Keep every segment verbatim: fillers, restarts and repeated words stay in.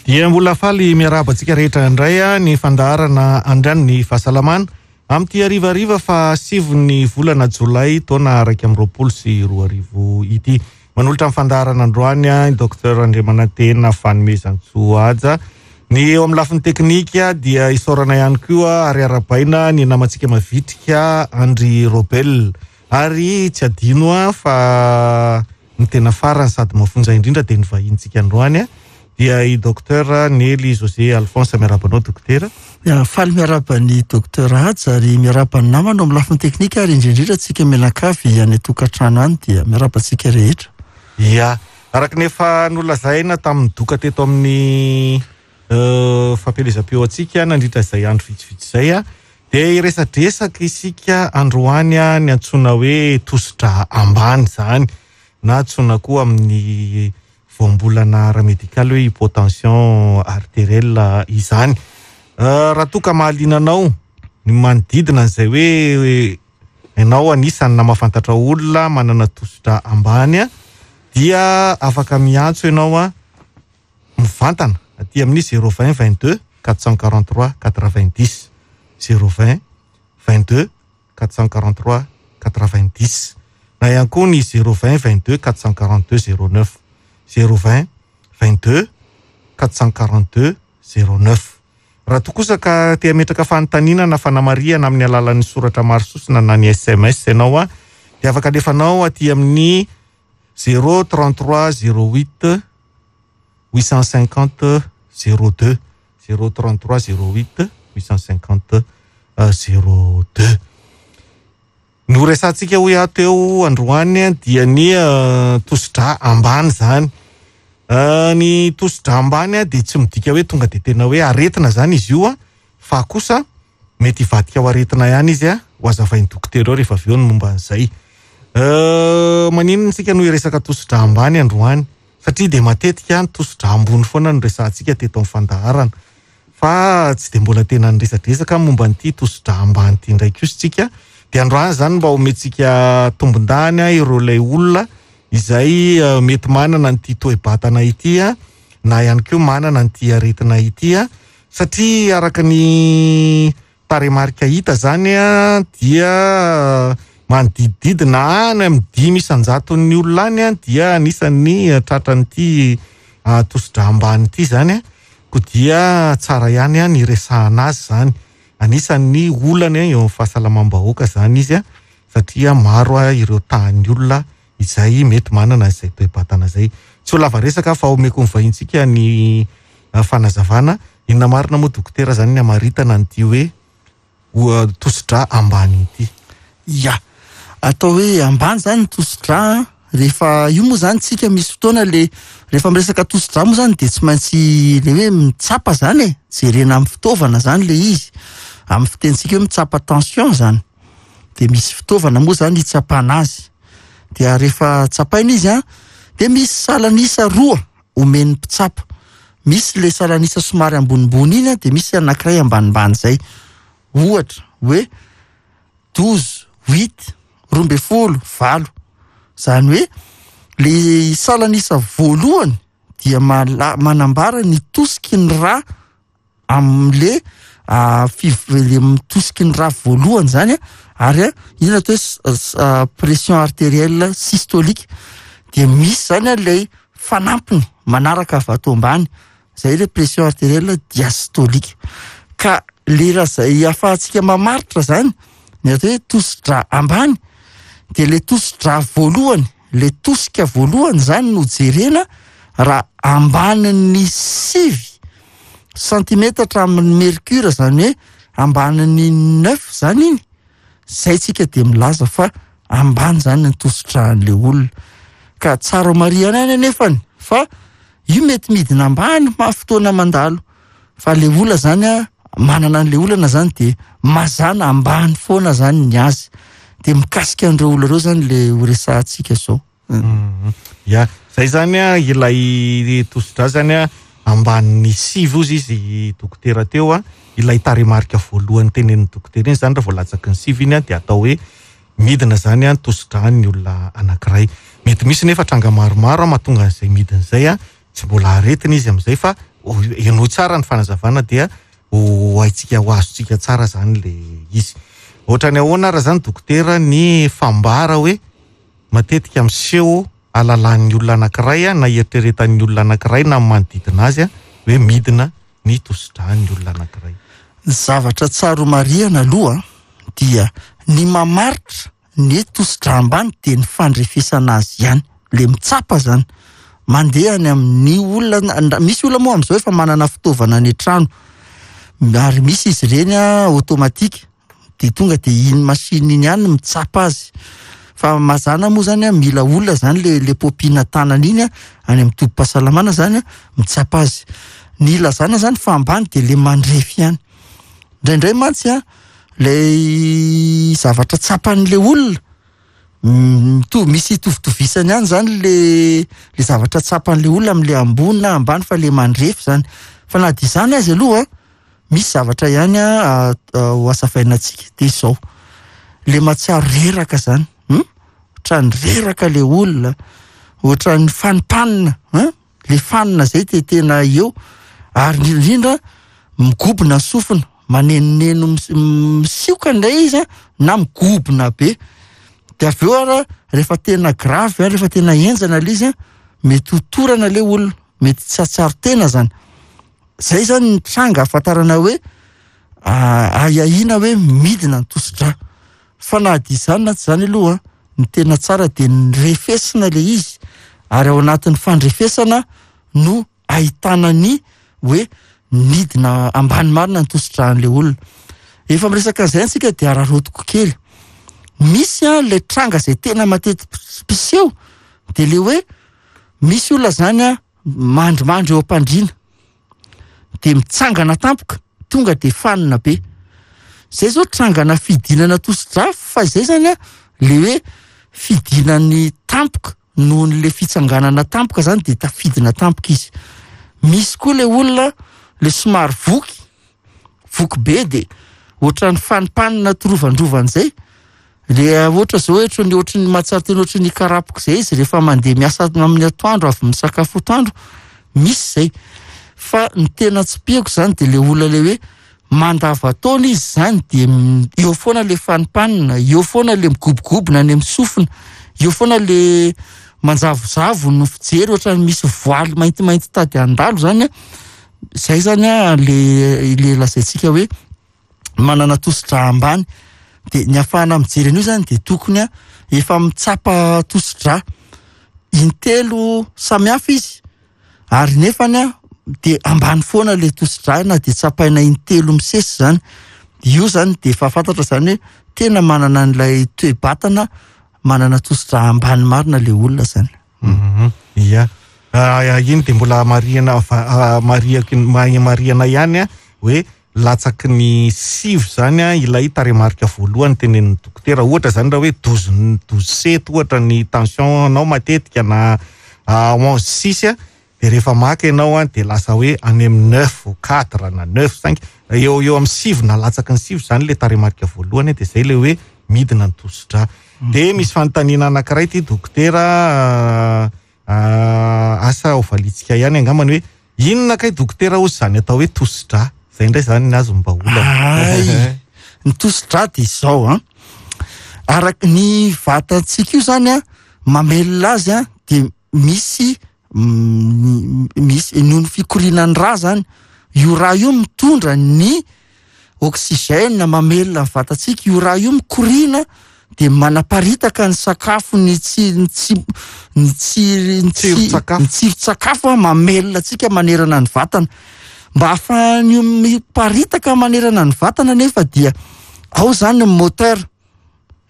Dia mbola faly miarahaba antsika rehetra indray a ny fandaharana androany ny fahasalamana amin'ity harivariva fa sivy volana jolay taona iraika amby roapolo sy roa arivo ity. Manolotra ny fandaharana androany a Docteur Andriamanantena Fanomezantsoa Haja. Ny eo amin'ny lafiny teknika dia isaorana ihany koa ary arahabaina ny namantsika mavitrika Andry Robel. Ary tsy adino a fa ny tena farany sady mafonja indrindra dia ny vahintsika androany a dia i Docteur Nely José Alphonse. Miarahaba anao, dokotera. Ya, faly miarahaba ny Docteur Haja ary miarahaba ny namana amin'ny lafiny teknika ary indrindrindra antsika mianakavy any an-tokantrano any, dia miarahaba antsika rehetra. Ya, araka ny efa nolazaina tamin'ny doka teto amin'ny fampielezam-peo antsika nandritra izay andro vitsivitsy izay a dia iresadresaka isika androany a ny antsoina hoe tosidra ambany izany, na antsoina koa amin'ny voambolana ara-medikaly hoe hypotension artérielle izany. Raha toa ka mahaliana anao ny manodidina an'izay hoe ianao anisany na mahafantatra olona manana tosidra ambany a dia afaka miantso ianao a mivantana aty amin'ny zéro vingt vingt deux quatre cent quarante trois quatre-vingt-dix, zéro vingt vingt-deux quatre cent quarante-trois quatre-vingt-dix, na ihany koa ny zéro vingt vingt-deux quatre cent quarante-deux zéro neuf, zéro vingt vingt-deux quatre cent quarante-deux zéro neuf. Raha toa kosa ka te hametraka fanontaniana na fanamarihana amin'ny alalan'ny soratra maro sosona na ny S M S ianao a dia afaka alefanao aty amin'ny zéro trente-trois zéro huit huit cent cinquante zéro deux, zéro trente-trois zéro huit huit cent cinquante zéro deux. No resantsika hoy aho teo androany dia ny tosidra ambany zany. Ny tosidra ambany a dia tsy midika hoe tonga de tena hoe aretina zany izy io a fa kosa mety hivadika ho aretina ihany izy a ho azavain'ny dokotera eo rehefa avy eo ny momba an'izay. Maninona isika no hiresaka tosidra ambany androany? Satria de matetika ny tosidra ambony foana no resahantsika teto amin'ny fandaharana, fa tsy de mbola tena niresadresaka momba an'ity tosidra ambany ity indray kosa tsika. De androany zany mba omentsika tombondany a ireo ilay olona izay mety manana an'ity toe-batana ity a na ihany koa manana an'ity aretina ity a satria araka ny tarehimarika hita zany a dia manodidididina any amin'ny dimy isan-jaton'ny olona any a dia anisan'ny tratran'ity tosidra ambany ity zany a ko dia tsara ihany a ny resahana azy zany. Anisan'ny olana eo amin'ny fahasalamam-bahoaka zany izy a satria maro a ireo tahan'ny olona izay mety manana izay toe-batana zay. Tsy ho lava resaka fa omeko ny vahintsika ny fanazavana. Inona marina moa, dokotera, zany ny amaritana an'ity hoe tosidra ambany ity? Ya, atao hoe ambany zany ny tosidra rehefa io moa zany tsika misy fotoana le rehefa miresaka tosidra moa zany de tsy maintsy le hoe mitsapa zany e, jerena amin'ny fitaovana zany le izy, amin'ny fitentsika hoe mitsapa tension zany, de misy fitaovana moa zany hitsapana azy. Dia rehefa tsapaina izy a de misy salanisa roa omen'ny mpitsapa, misy le salanisa somary ambonimbony iny a de misy anankiray ambanimbany zay, ohatra hoe douze huit, roa ambe folo valo. Zany hoe le salanisa voalohany dia mala- manambara ny tosiky ny ra am'le fiv- le mitosiky ny ra voalohany zany a ary a iny atao hoe pression artérielle systolique. De misy zany a lay fanampiny manaraka avy ato ambany zay, le pression artérielle diastolique. Ka le raha zay ahafahantsika mamaritra zany ny atao hoe tosidra ambany, de le tosidra voalohany, le tosika voalohany zany no jerena. Raha ambanin'ny sivy santimetatra amin'ny mercure, zany hoe ambanin'ny neuf zany iny, zay tsika de milaza fa ambany zany ny tosidran'le olona. Ka tsara marihana any anefany fa io mety midina ambany ma fotoana mandalo, fa le olona zany a manana an'le olana zany de mazana ambany foana zany ny azy. De mikasika an'ireo olona ireo zany le ho resahantsika zao. Mhm. Ya, zay zany a ilay tosidra zany a ambanin'ny sivy ozy izy dokotera teo a ilay tarehimarika voalohany tenenin'ny dokotera iny zany. Raha vao latsaky ny sivy iny a de atao hoe midina zany a ny tosidrany olona anankiray. Mety misy nefa tranga maromaro a mahatonga an'izay midina zay a tsy mbola aretina izy am'izay fa henoy tsara ny fanazavana dia ho haintsika, ho azontsika tsara zany le izy. Ohatrany ahoana raha zany dokotera ny fambara hoe matetika miseho alalan'ny olona anankiray na eritreretan'ny olona anankiray na manodidina azy hoe midina ny tosidran'ny olona anankiray? Ny zavatra tsara ho marihana aloha dia ny mamaritra ny tosidra ambany dia ny fandrefesana azy ihany, le mitsapa zany mandeha any amin'ny olona. Misy olona moa amin'izao efa manana fitaovana any an-trano ary misy izy ireny automatique dia tonga dia iny machine iny ihany mitsapa azy, fa mazàna moa zany mila olona zany le le popina tanana iny any amin'ny tobim-pahasalamana zany mitsapa azy. Ny ilazana zany fa ambany dia le mandrefy ihany. Indraindray mantsy a lay zavatra tsapan'le olona mitovy, misy itovitovizany ihany zany le le zavatra tsapan'le olona amin'le ambony na ambany, fa le mandrefy zany. Fa na dia izany azy aloha misy zavatra ihany a ho azavaina antsika, dia izao le mahatsiaro reraka zany, ohatran'ny reraka le olona, ohatran'ny fanimpanina, le fanina zay te tena eo, ary indrindra migobona ny sofina, manenoneno misioka indray izy na migobona be. Dia avy eo ara rehefa tena grave, rehefa tena henjana le izy, mety ho torana le olona, mety tsy hahatsiaro tena zany. Zay zany ny tranga ahafantarana hoe ahiahiana hoe midina ny tosidra. Fa na dia izany na tsy izany aloha, ny tena tsara dia ny refesina le izy, ary ao anatin'ny fandrefesana no ahitana ny hoe midina ambany marina ny tosidran'le olona. Efa miresaka an'izay antsika dia araraotiko kely. Misy a le tranga izay tena mateti-piseho dia le hoe misy olona zany a mandrimandry eo am-pandriana dia mitsangana tampoka, tonga dia fanina be. Zay zao trangana fidinana tosidra, fa izay zany a le hoe fidinany tampoka noho le fitsanganana tampoka zany dia tafidina tampoka izy. Misy koa le olona le somary voky, voky be dia ohatran'ny fanimpanina torovandrovana zay. Le ohatra zao ohatran'ny ohatran'ny mahatsiaro tena ohatran'ny karapoka zay izy rehefa mandeha miasa amin'ny atoandro avy misakafo atoandro, misy zay. Fa ny tena tsipihako zany dia le olona le hoe mandava-taona izy zany dia eo foana le fanimpanina, eo foana le migobogobona any amin'ny sofina, eo foana le manjavozavo no fijery ohatran'ny misy voaly maintimainty tady handalo zany. Zay zany a le le lazaintsika hoe manana tosidra ambany. Dia ny ahafahana mijery an'io zany dia tokony a efa mitsapa tosidra intelo samihafa izy, ary nefany a dia ambany foana le tosidra na dia tsapaina intelo misesy zany. Io zany dia efa fantatra zany hoe tena manana an'ilay toe-batana manana tosidra ambany marina le olona zany. Ia, iny dia mbola marihana marihako marihana ihany a hoe latsaky ny sivy zany a ilay tarehimarika voalohany tenenin'ny dokotera. Ohatra zany raha hoe douze douze sept ohatra ny tension anao matetika na onze six a, dia rehefa maka ianao a dia lasa hoe any amin'ny neuf quatre na neuf cinq, eo eo amin'ny sivy na latsaky ny sivy zany le tarehimarika voalohany, dia zay le hoe midina ny tosidra. Dia misy fanontaniana anankiray ity dokotera, asa ho valitsika ihany angambany hoe inona kay dokotera hozy zany atao hoe tosidra? Zay indray zany ny azo mba olana. Ay, ny tosidra dia izao a, araka ny vatantsika io zany a mamelona azy a dia misy misy noho ny fikorianan'ny rà zany, io rà io mitondra ny oxygène mamelona ny vatantsika, io rà io mikoriana dia manaparitaka ny sakafo, ny tsy ny tsy ny tsy ny tsy ny tsiron-tsakafo mamelona antsika manerana ny vatana. Mba ahafahan'io miparitaka manerana ny vatana nefa dia ao zany ny moteur,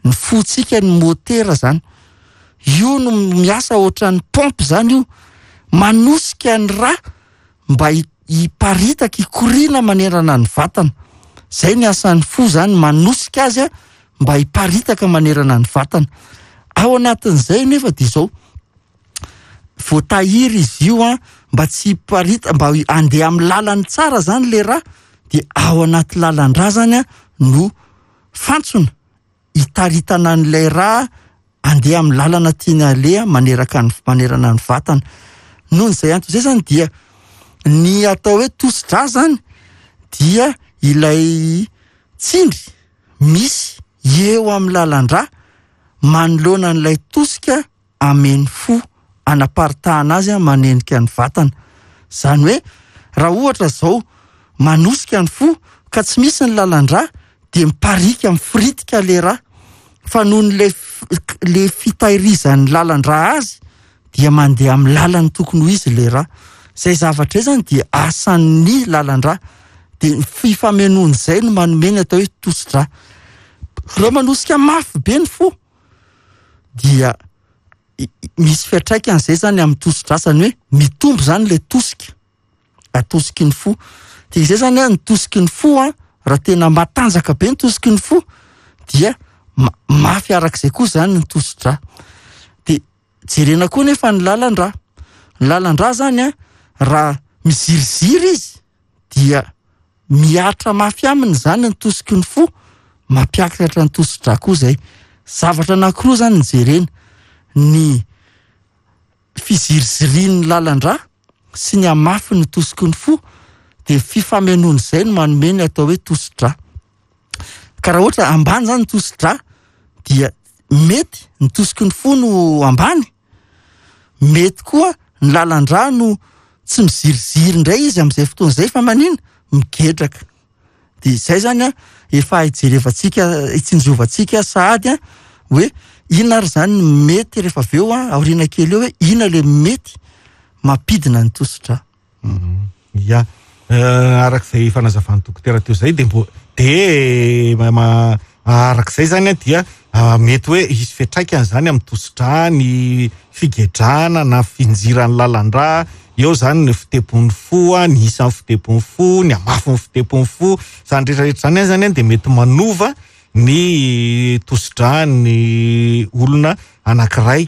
ny fotsika ny motera zany. Io no miasa ohatran'ny pompe zany io, manosika ny rà mba hiparitaka, hikoriana manerana ny vatana. Zay ny asan'ny fo zany, manosika azy a mba hiparitaka manerana ny vatana. Ao anatin'izay nefa dia izao, voatahiry izy io a mba tsy hiparita, mba handeha amin'ny lalany tsara zany le rà, dia ao anaty lalan-drà zany a no fantsona hitaritana an'ilay rà handeha amin'ny lalana tiana aleha maneraka ny manerana ny vatana. Noho izay antony izay zany dia Ny atao hoe tosidra zany dia ilay tsindry misy eo amin'ny lalan-drà manoloana an'ilay tosika amen'ny fo anaparitahana azy manenika ny vatana. Zany hoe raha ohatra zao manosika ny fo ka tsy misy ny lalan-drà dia miparika mifiritika le rà, fa noho ny le fitahirizan'ny lalan-drà azy dia mandeha amin'ny lalany tokony ho izy le rà. Zay zavatra izay zany dia asan'ny lalan-drà, dia fifamenoan'izay no manome ny atao hoe tosidra. Raha manosika mafy be ny fo dia misy fiantraikan'izay zany amin'ny tosidra, zany hoe mitombo zany le tosika atosiky ny fo. Dia izay zany a, ny tosiky ny fo a, raha tena matanjaka be ny tosiky ny fo dia mafy arak'izay koa zany ny tosidra. Dia jerena koa nefa ny lalan-drà. Ny lalan-drà zany a, raha miziriziry izy dia mihatra mafy aminy zany ny tosiky ny fo, mampiakatra ny tosidra koa zay. Zavatra anankiroa zany ny jerena: ny fizirizirian'ny lalan-drà sy ny hamafy ny tosiky ny fo, dia fifamenoan'izay no manome ny atao hoe tosidra. Ka raha ohatra ambany zany ny tosidra dia mety ny tosiky ny fo no ambany, mety koa ny lalan-drà no tsy miziriziry indray izy amin'izay fotoana izay fa manina migedraka. Dia izay zany a efa hijerevantsika, hitsinjovantsika sahady a hoe inona ary zany ny mety rehefa avy eo a, aoriana kely eo hoe inona le mety mampidina ny tosidra. Ya, arak'izay fanazavan'ny dokotera teo izay dia mbo dia ma arak'izay zany a dia mety hoe hisy fiantraikany zany amin'ny tosidra ny figedrana na finjiran'ny lalan-drà. Eo zany ny fitepon'ny fo, ny isan'ny fitepon'ny fo, ny hamafin'ny fitepon'ny fo, zany rehetrarehetra zany zany dia mety manova ny tosidra ny olona anankiray.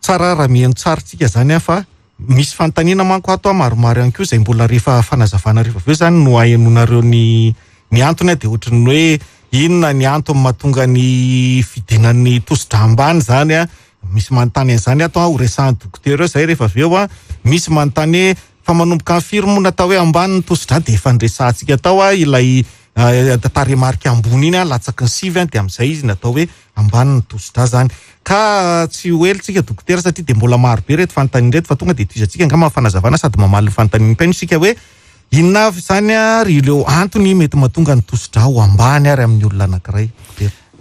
Tsara raha mihaino tsara tsika zany a, fa misy fanontaniana manko ato a maromaro ihany koa izay mbola rehefa fanazavana rehefa avy eo zany no ahenonareo ny ny antony a, dia ohatran'ny hoe inona ny antony mahatonga ny fidinan'ny tosidra ambany zany a. Misy manontany an'izany ato a, ho resahan'ny dokotera eo zay rehefa avy eo a. Misy manontany hoe fa manomboka amin'ny firy moa natao hoe ambany ny tosidra, dia efa niresahantsika tao a ilay tarehimarika ambony iny a, latsaky ny sivy a, dia amin'izay izy natao hoe ambany ny tosidra zany. Ka tsy ho ela tsika dokotera satria dia mbola maro be reto fanontaniana reto, fa tonga dia tohizantsika angamba fanazavana sady mamaly ny fanontanian'ny mpihaino isika hoe inona avy zany a ry ireo antony mety mahatonga ny tosidra ho ambany ary amin'ny olona anankiray.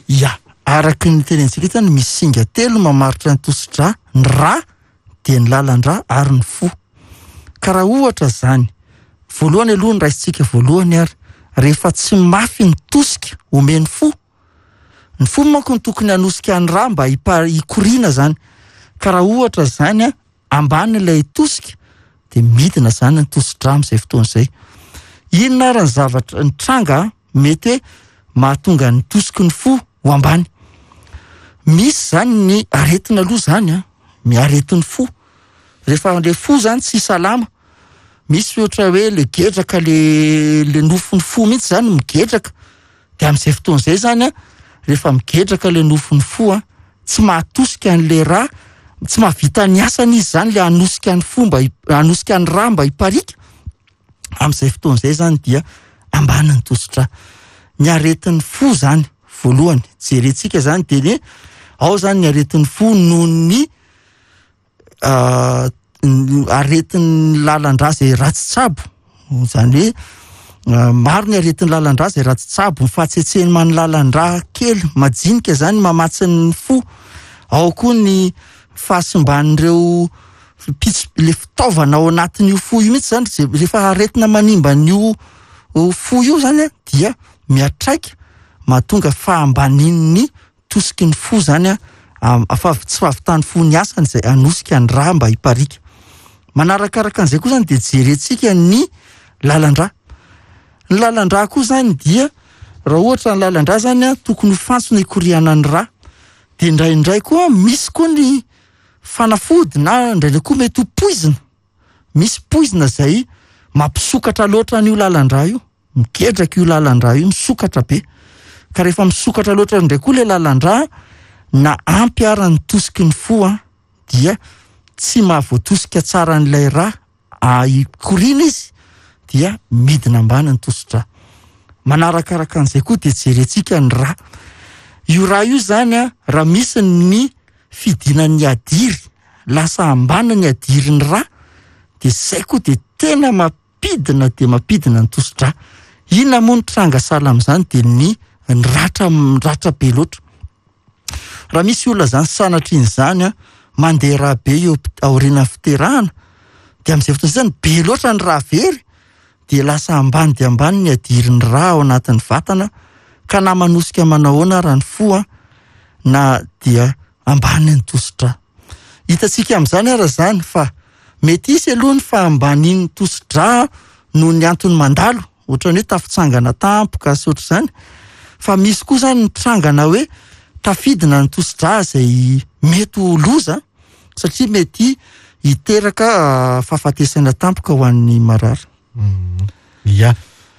Ya, araky ny tenentsika zany misy singa telo mamaritra ny tosidra: ny rà, dia ny lalan-drà ary ny fo. Ka raha ohatra zany, voalohany aloha ny raisitsika voalohany ary, rehefa tsy mafy ny tosika omen'ny fo, ny fo manko no tokony hanosika ny rà mba hikoriana zany. Ka raha ohatra zany a, ambany ilay tosika dia midina zany ny tosidra amin'izay fotoana izay. Inona ary ny zavatra ny tranga mety hoe mahatonga ny tosiky ny fo ho ambany? Misy zany ny aretina aloha zany a, ny aretin'ny fo. Rehefa le fo zany tsy salama, misy ohatra hoe le gedraka, le le nofon'ny fo mihitsy zany migedraka, dia amin'izay fotoana izay zany a, rehefa migedraka le nofon'ny fo a, tsy mahatosika an'le rà, tsy mahavita ny asany izy zany le hanosika ny fo mba hanosika ny rà mba hiparika. Amin'izay fotoana izay zany dia ambany ny tosidra. Ny aretin'ny fo zany voalohany jerentsika zany dia ny ao zany ny aretin'ny fo noho ny aretin'ny lalan-drà izay ratsy tsabo. Zany hoe maro ny aretin'ny lalan-drà izay ratsy tsabo, ny fahatsetseman'ny lalan-drà kely majinika zany mamatsy ny fo. Ao koa ny fahasimban'ireo pits- le fitaovana ao anatin'io fo io mihitsy zany, zay rehefa aretina manimba an'io fo io zany a, dia miatraika mahatonga fahambanin'ny tosiky ny fo zany a, fa tsy fahavitan'ny fo ny asany izay hanosika ny rà mba hiparika. Manarakaraka an'izay koa zany dia jerentsika ny lalan-drà. Ny lalan-drà koa zany dia raha ohatra ny lalan-drà zany a, tokony ho fantsona hikorianan'ny rà. Dia indraindray koa misy koa ny fanafody na indraindray koa mety ho poizina. Misy poizina izay mampisokatra loatra an'io lalan-drà io, migedraka io lalan-drà io, misokatra be. Ka rehefa misokatra loatra indray koa le lalan-drà, na ampy ara ny tosiky ny fo a, dia tsy mahavoatosika tsara an'ilay rà Hikoriana izy dia midina ambany ny tosidra. Manarakaraka an'izay koa dia jerentsika ny rà. Io rà io zany a, raha misy ny fidinan'ny hadiry, lasa ambany ny hadirin'ny rà, dia zay koa dia tena mampidina dia mampidina ny tosidra. Inona moa ny tranga sahala amin'izany? Dia ny ny ratra, ratra be loatra. Raha misy olona zany sanatrian'izany a, mandeha rà be eo aorian'ny fiterahana, dia amin'izay fotoana izay zany be loatra ny rà very, dia lasa ambany dia ambany ny hadirin'ny rà ao anatin'ny vatana, ka na manosika manahoana raha ny fo a, na dia ambany ny tosidra. Hitantsika amin'izany ara zany fa mety hisy aloha ny fahambanin'ny tosidra noho ny antony mandalo, ohatran'ny hoe tafitsangana tampoka sy ohatr'izany, fa misy koa zany ny trangana hoe tafidina ny tosidra izay mety ho loza, satria mety hiteraka fahafatesana tampoka ho an'ny marary. Ia.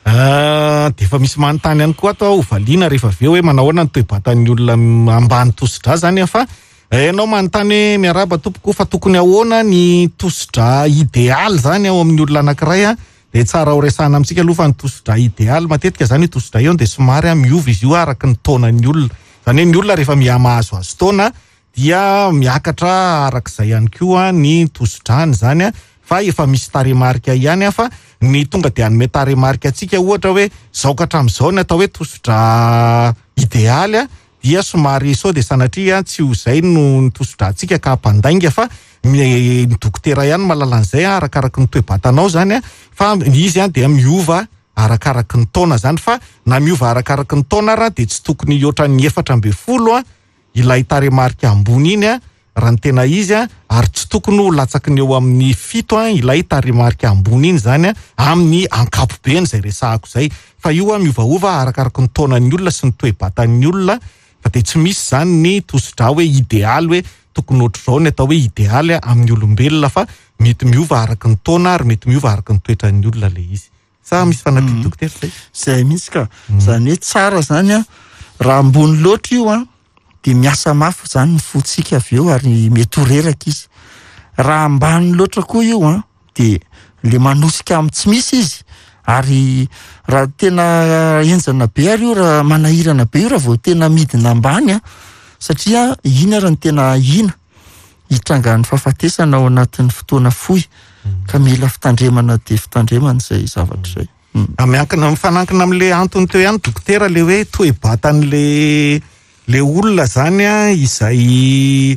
Dia efa misy manontany ihany koa ato ho valiana rehefa avy eo hoe manahoana ny toe-batan'ny olona ambany tosidra zany, fa ianao manontany hoe miarahaba tompoko, fa tokony ahoana ny tosidra idealy zany ao amin'ny olona anankiray a? Dia tsara ho resahana amintsika aloha fa ny tosidra idealy matetika zany io tosidra io dia somary miova izy io araka ny taonan'ny olona. Zany hoe ny olona rehefa mihamahazoazo taona dia miakatra arak'izay ihany koa ny tosidrany zany a, fa efa misy tarehimarika ihany a, fa ny tonga dia hanome tarehimarika antsika ohatra hoe zao ka hatramin'izao ny atao hoe tosidra idealy a, dia somary sao dia sanatria tsy ho izay no ny tosidrantsika ka hampandainga, fa ny dokotera ihany mahalala an'izay arakaraky ny toe-batanao zany a, fa izy a dia miova arakaraky ny taona zany, fa na miova arakaraky ny taona raha dia tsy tokony hihoatra ny efatra ambin'ny folo a ilay tarehimarika ambony iny a raha ny tena izy a, ary tsy tokony ho latsaky ny eo amin'ny fito a ilay tarehimarika ambony iny zany a amin'ny ankapobeny izay resahako izay, fa io a miovaova arakaraky ny taonan'ny olona sy ny toe-batan'ny olona, fa dia tsy misy zany ny tosidra hoe idealy hoe tokony ohatr'izao ny atao hoe idealy amin'ny olombelona, fa mety miova araky ny taona ary mety miova araky ny toetran'ny olona le izy. Sa misy fanampiana dokotera zay? Zay mihitsy ka. Zany hoe tsara zany a, raha ambony loatra io a dia miasa mafy zany ny fontsika avy eo ary mety ho reraka izy. Raha ambany loatra koa io a, dia le manosika amin'ny tsy misy izy, ary raha tena henjana be ary io, raha manahirana be io raha vao tena midina ambany a, satria iny ary ny tena ahiana hitrangan'ny fahafatesana ao anatin'ny fotoana fohy, ka mila fitandremana dia fitandremana izay zavatra izay. Miankina, mifanankina amin'le antony teo ihany dokotera, le hoe toe-batan'le le olona zany a, izay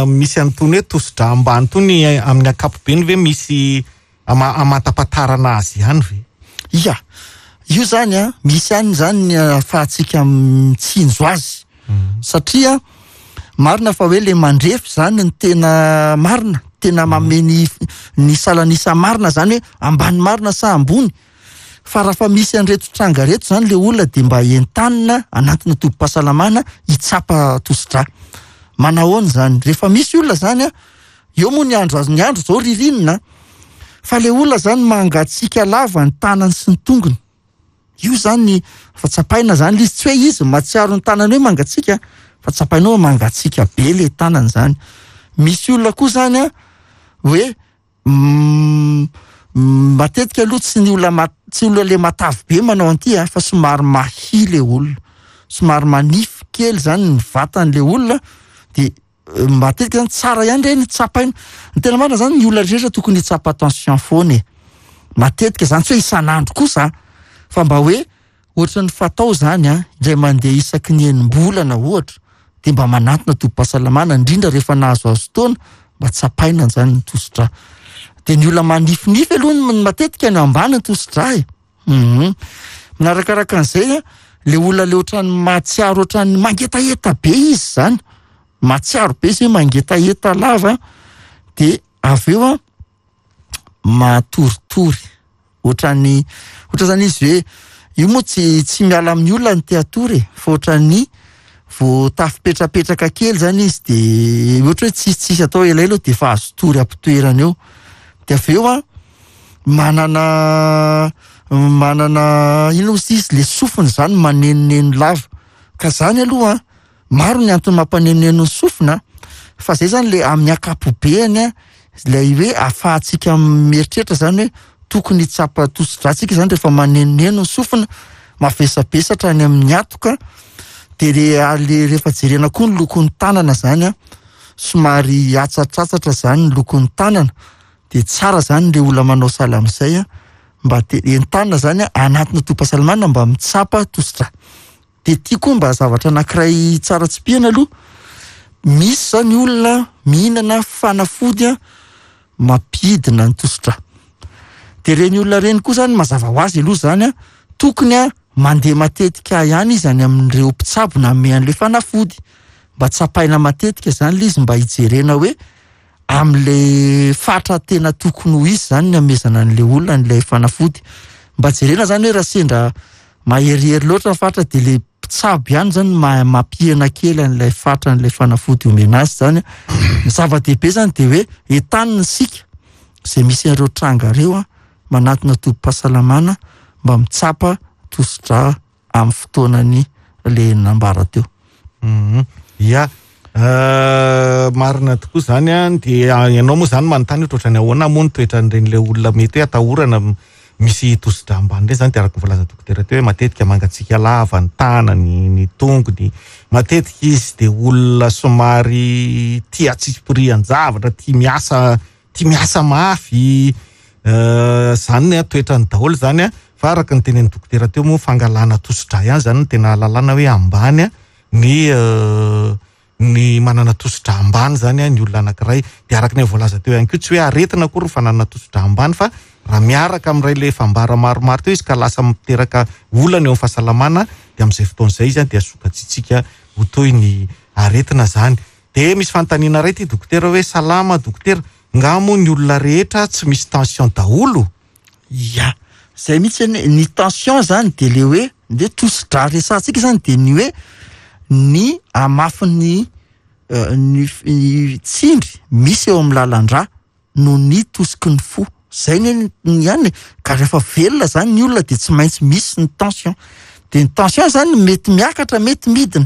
misy an'itony hoe tosidra ambany tony amin'ny ankapobeny ve misy ama-, amantapatarana azy ihany ve? Ia, io zany a, misy ihany zany ny ahafahantsika mitsinjo azy, satria marina fa hoe le mandrefy zany ny tena marina, tena manome ny, ny salanisa marina zany hoe ambany marina sa ambony, fa raha fa misy an'ireto tranga reto zany le olona dia mba entanina anatina tobim-pahasalamana hitsapa tosidra. Manahoana zany? Rehefa misy olona zany a, eo moa ny andro, ny andro zao ririnina, fa le olona zany mangatsiaka lava ny tanany sy ny tongony. Io zany fa tsapaina zany izy, tsy hoe izy mahatsiaro ny tanany hoe mangatsiaka, fa tsapaina hoe mangatsiaka be le tanany zany. Misy olona koa zany a, hoe mm, matetika aloha tsy ny olona ma-, tsy olona le matavy be manao an'ity a, fa somary mahia le olona, somary manify kely zany ny vatan'le olona, dia matetika zany tsara ihany reny tsapaina. Ny tena marina zany ny olona rehetra tokony hitsapa tension foana e. Matetika zany tsy hoe isan'andro kosa, fa mba hoe ohatran'ny fatao zany a, indray mandeha isaky ny enim-bolana ohatra, dia mba manantona tobim-pahasalamana, indrindra rehefa nahazoazo taona, mba tsapaina zany ny tosidra. Dia ny olona manifinify aloha ny matetika ny ambany ny tosidra e. Mhm. Manarakaraka an'izay a, le olona le ohatran'ny mahatsiaro ohatran'ny mangetaheta be izy zany, mahatsiaro be izy hoe mangetaheta lava, dia avy eo a matoritory ohatran'ny, ohatra zany izy hoe io moa tsy, tsy miala amin'ny olona ny te hatory e, fa ohatran'ny vao tafipetrapetraka kely zany izy, dia ohatra hoe tsisy, tsisy atao elaela eo dia efa azo tory ampitoerana eo. Dia avy eo a manana, manana inona moa izy, le sofiny zany manenoneno lava, ka zany aloha a, maro ny antony mampanenoneno ny sofina, fa zay zany le amin'ny ankapobeny a, Ilay hoe ahafahantsika mieritreritra zany hoe tokony hitsapa tosi-drà tsika zany rehefa manenoneno ny sofina, mavesabesatra any amin'ny atoka, de le le rehefa jerena koa ny lokon'ny tanana zany a, somary atsatratsatra zany ny lokon'ny tanana, de tsara zany le olona manao sahala amin'izay a, mba te entanina zany a anatina tobim-pahasalamana mba mitsapa tosi-drà. De ty koa mba zavatra anankiray tsara tsipihana aloha, misy zany olona mihinana fanafody a mampidina ny tosi-drà. De reny olona reny koa zany mazava ho azy aloha zany a, tokony a mandeha matetika ihany izy any amin'ireo mpitsabo nanome an'le fanafody, mba tsapaina matetika zany le izy mba hijerena hoe am'le fatra tena tokony ho izy zany ny amezana an'le olona an'ilay fanafody. Mba jerena zany hoe raha sendra maherihery loatra ny fatra de le mpitsabo ihany zany ma-, mampihena kely an'ilay fatra an'ilay fanafody omena azy zany. Ny zava-dehibe zany de hoe entanina isika izay misy an'ireo tranga ireo a, manatona tobim-pahasalamana mba mitsapa tosi-drà amin'ny fotoanany le nambara teo. Mhm. Ya, euh, marina tokoa zany a, de ianao moa zany manontany hoe ohatrany ahoana moa ny toetran'ireny le olona mety hoe atahorana misy tosi-drà ambany ireny zany, de araka ny voalazan'ny dokotera teo hoe matetika mangatsiaka lava ny tanany, ny tongony, matetika izy de olona somary tia tsipirian-javatra, tia miasa, tia miasa mafy, euh, zany ny toetrany daholo zany a. Fa araka ny tenenin'ny dokotera teo moa fangalana tosi-drà ihany zany no tena ahalalana hoe ambany a ny, euh, ny manana tosi-drà ambany zany a ny olona anankiray. De araka ny voalaza teo ihany koa tsy hoe aretina akory ny fananana tosi-drà ambany, fa raha miaraka amin'ilay le fambara maromaro teo izy ka lasa miteraka olana eo amin'ny fahasalamana, de amin'izay fotoana izay izy a dia sokajiantsika ho toy ny aretina zany. De misy fanontaniana iray ty dokotera hoe salama dokotera, nga moa ny olona rehetra tsy misy tension daholo? Ya, zay mihitsy anie, ny tension zany de le hoe, de tosi-drà resahantsika zany de ny hoe ny hamafin'ny, euh, ny f-, ny tsindry misy eo amin'ny lalan-drà noho ny tosiky ny fo. Zay ny, ny ihany e. Ka rehefa velona zany ny olona de tsy maintsy misy ny tension. De ny tension zany mety miakatra, mety midina.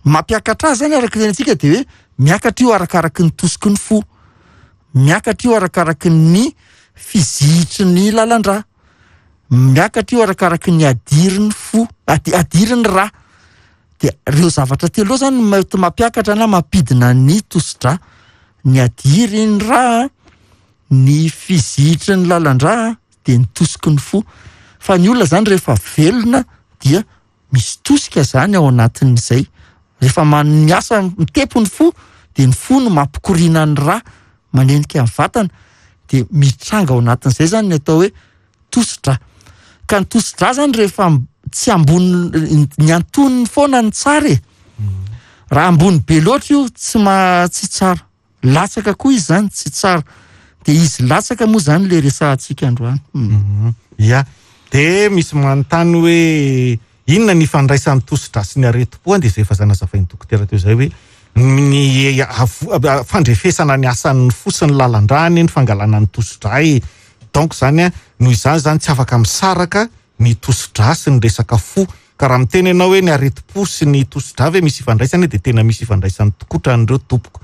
Mampiakatra azy zany araka ny tenintsika de hoe miakatra io arakaraky ny tosiky ny fo, miakatra io arakaraky ny fizihitry ny lalan-drà, miakatra io arakaraky ny adirin'ny fo, adi-, adirin'ny rà. De ireo zavatra telo zany no mety mampiakatra na mampidina ny tosi-drà: ny adirin'ny rà, ny fizihitry ny lalan-drà, de ny tosiky ny fo. Fa ny olona zany rehefa velona dia misy tosika zany ao anatin'izay. Rehefa man-, miasa mitepo ny fo de ny fo no mampikoriana ny rà manenika ny vatana, de mitranga ao anatin'izay zany ny atao hoe tosi-drà. Ka ny tosi-drà zany rehefa m-, tsy ambony, ny antonony foana ny tsara e. Raha ambony be loatra io tsy ma-, tsy tsara, latsaka koa izy zany tsy tsara, de izy latsaka moa zany le resahantsika androany. Mhm. Ya, de misy manontany hoe inona ny ifandraisan'ny tosi-drà sy ny aretim-po, de izay efa zanazavain'ny dokotera teo izay hoe ny avo-, fandrefesana ny asan'ny fo sy ny lalan-drà ny fangalana ny tosi-drà e. Donc zany a, noho izany zany tsy afaka misaraka ny tosi-drà sy ny resaka fo. Ka raha miteny ianao hoe ny aretim-po sy ny tosi-drà ve misy ifandraisany, de tena misy ifandraisany tokoa tran'ireo tompoko.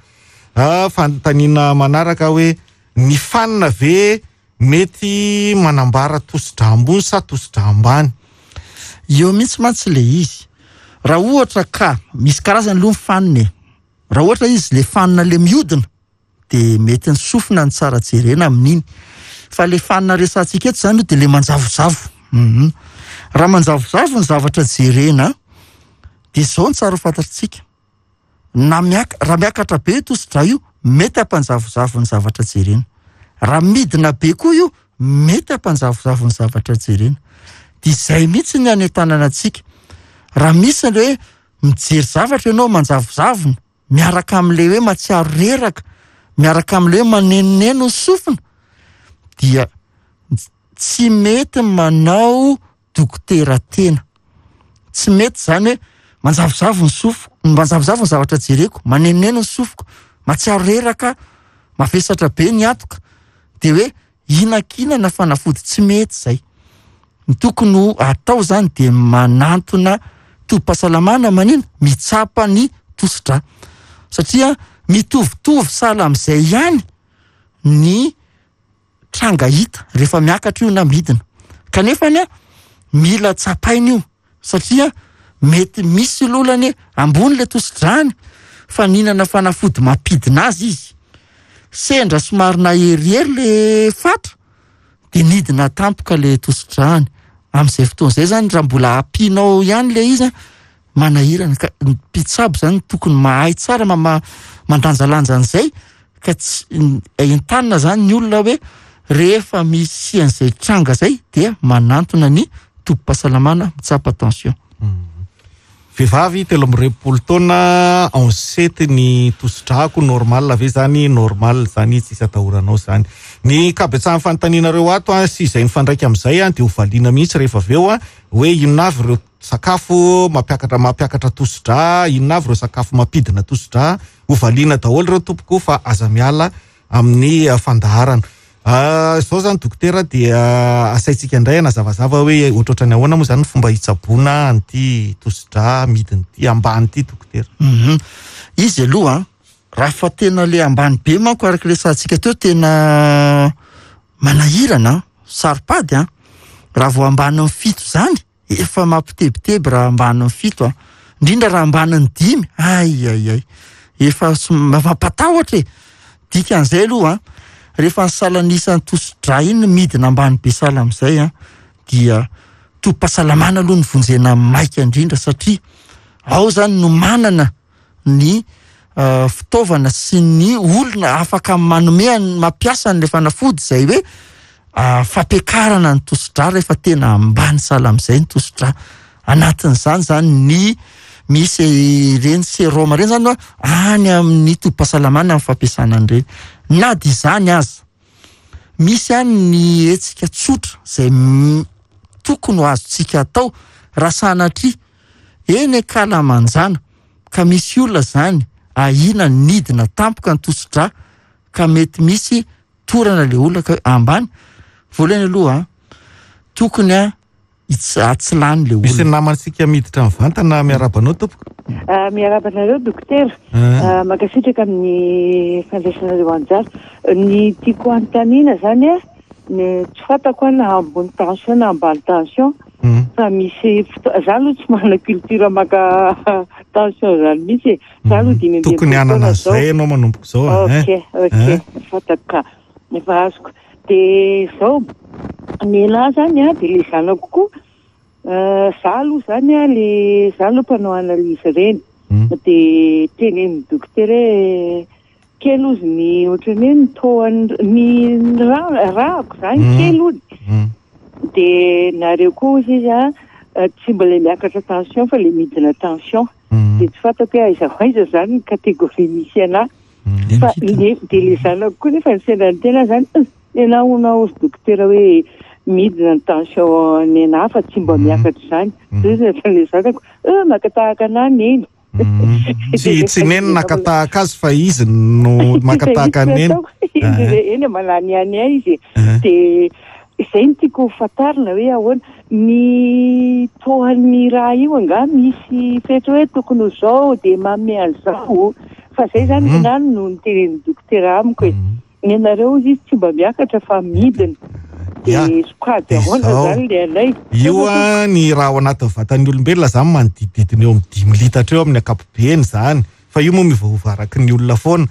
Ah, fanontaniana manaraka hoe ny fanina ve mety manambara tosi-drà ambony sa tosi-drà ambany? Eo mihitsy mantsy le izy. Raha ohatra ka misy karazany aloha ny fanina e. Raha ohatra izy le fanina le mihodina de mety ny sofina ny tsara jerena amin'iny. Fa le fanina resahantsika eto zany de le manjavozavo. Mhm. Raha manjavozavo ny zavatra jerena de zao ny tsara ho fantatsika. Na miak-, raha miakatra be tosi-drà io, mety hampanjavozavo ny zavatra jerena. Raha midina be koa io, mety hampanjavozavo ny zavatra jerena. De izay mihitsy ny anentanana antsika. Raha misy le hoe mijery zavatra ianao manjavozavona, miaraka amin'ilay hoe mahatsiaro reraka, miaraka amin'ilay hoe manenoneno ny sofina, dia tsy mety manao dokotera tena. Tsy mety zany hoe manjavozavo ny sofiko, manjavozavo ny zavatra jereko, manenoneno ny sofiko, mahatsiaro reraka, mavesatra be ny atoka, de hoe hihinankinana fanafody, tsy mety zay. Ny tokony ho atao zany de manantona tobim-pahasalamana manina mitsapa ny tosi-drà, satria mitovitovy sahala amin'izay ihany ny tranga hita rehefa miakatra io na midina. Kanefa ny a mila tsapaina io satria mety misy lolany ambony le tosi-drany fa nihinana fanafody mampidina azy izy, sendra somary naherihery le fatra de nidina tampoka le tosi-drany. Amin'izay fotoana izay zany raha mbola ampianao ihany le izy a, manahirana. Ka ny mpitsabo zany tokony mahay tsara mama-, mandanjalanja an'izay, ka tsy entanina zany ny olona hoe rehefa misy an'izay tranga zay dia manantona ny tobim-pahasalamana mitsapa tension. Vehivavy telo amby roapolo taona, onze sept ny tosi-drako, normal ve zany? Normal zany, tsisy atahoranao zany. Ny kabetsahan'ny fanontanianareo ato a, sy izay mifandraika amin'izay a, de ho valiana mihitsy rehefa avy eo a, hoe inona avy ireo sakafo mampiakatra, mampiakatra tosi-drà, inona avy ireo sakafo mampidina tosi-drà. Ho valiana daholo ireo tompoko, fa aza miala amin'ny fandaharana. Ah, zao zany dokotera dia asaintsika indray anazavazava hoe ohatrohatrany ahoana moa zany ny fomba hitsaboana an'ity tosi-drà midina ity, ambany ity, dokotera? Mhm. Izy aloha raha fa tena le ambany be manko, araka le sahantsika teo, tena manahirana, saro-pady a. Raha vao ambanin'ny fito zany efa mampitebiteby, raha ambanin'ny fito a, indrindra raha ambanin'ny dimy, ay ay ay, efa som-, mampatahotra e. Dikan'izay aloha a, rehefa ny salanisan'ny tosi-drà iny midina ambany be sahala amin'izay a, dia tobim-pahasalamana aloha ny vonjena maika indrindra, satria ao zany no manana ny, euh, fitaovana sy ny olona afaka manome an-, mampiasa an'ilay fanafody izay hoe, ah, fampiakarana ny tosi-drà rehefa tena ambany sahala amin'izay ny tosi-drà. Anatin'izany zany ny misy ireny sérum ireny zany a, any amin'ny tobim-pahasalamana amin'ny fampiasana an'ireny. Na dia izany aza, misy any ny hetsika tsotra izay m-, tokony ho azontsika atao raha sanatria eny ankalamanjana ka misy olona zany ahiana nidina tampoka ny tosi-drà ka mety misy torana le olona ka ambany. Voalohany aloha, tokony a its-, atsilany le Misy olona. namantsika miditra mivantana, miarahaba anao tompoko. Ah, miarahaba anareo dokotera. Ah. Ah, mankasitraka amin'ny fandraisanareo anjara. Ny tiako anontaniana zany a, ny tsy fantako a na ambony tension na ambany tension. Mm. Fa misy foto-, za aloha tsy manana culture maka tension zany mihitsy e. Za aloha dimy amby Tokony efapolo hanana taona zao. zay ianao manomboka izao, ah, Ok, eh? ok, Eh? fantako ka. Efa azoko. De zao, ny elahy zany a, de le zanako koa, euh, za aloha zany a, le za aloha mpanao analyse ireny. Mm. De tenenin'ny dokotera hoe kely ozy ny ohatran'ny hoe ny taux-an'ny, ny ra-, rahako zany Mm. kely ony. Mm. De nareo koa ozy izy a, eh, tsy mbola miakatra tension fa le midina tension. Mm. De tsy fantako hoe aiza ho aiza zany ny catégorie misy anahy. Mm. Fa le, de le zanako koa nefa ny sendra ny tena zany, eh, ianao hono ozy dokotera hoe midina ny tension ny anahy fa tsy mba Mm. miakatra zany. Mm. De izy le zanako, eh, maka tahaka anahy neny. Mm. Tsy, tsy neny naka tahaka azy fa izy no maka tahaka neny. Izy eny manany ihany ahy izy. Eh. De izay no tiako ho fantarina hoe ahoana ny tohan'ny raha io angaha misy fetra hoe tokony ho zao de manome an'izao, fa zay zany Mhm. nany no nitenenin'ny dokotera amiko e. Mm. Ny anareo izy tsy mba miakatra fa midina. De Ya. sokajy De ahoana zao. zany le anay? Io a, ny raha ao anatin'ny vatan'ny olombelona zany manodidididina eo amin'ny dimy litatra eo amin'ny ankapobeny zany, fa io moa miovaova araky ny olona foana.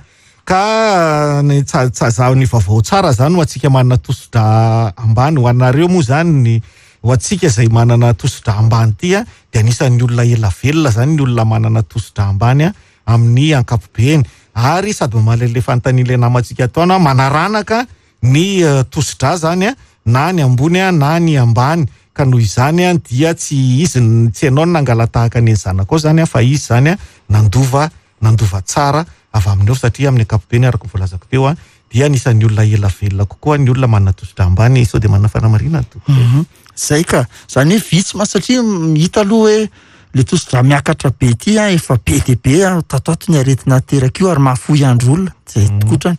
Ka ny tsa-, tsa-, za-, ny vaovao tsara zany ho antsika manana tosi-drà ambany, ho anareo moa zany ny, ho antsika izay manana tosi-drà ambany ity a, de anisan'ny olona ela velona zany ny olona manana tosi-drà ambany a amin'ny ankapobeny. Ary sady mamaly an'ilay fanontanian'ilay namantsika ataona, manaranaka ny, eh, tosi-drà zany a, na ny ambony a, na ny ambany. Ka noho izany a, dia tsy izy n-, tsy ianao no nangala-tahaka ny zanakao zany a, fa izy zany a, nandova, nandova tsara avy amin'eo, satria amin'ny ankapobeny araka ny voalazako teo a, dia anisan'ny olona ela velona kokoa ny olona manana tosi-drà ambany. Sao dia manana fanamarihana ny tompoko? Mhm. Zay ka, zany hoe vitsy ma, satria hita aloha hoe le tosi-drà miakatra be ity a, efa be dia be a, tato ato ny aretina ateraka io ary mahafoy andro olona, zay Mhm. tokotrany.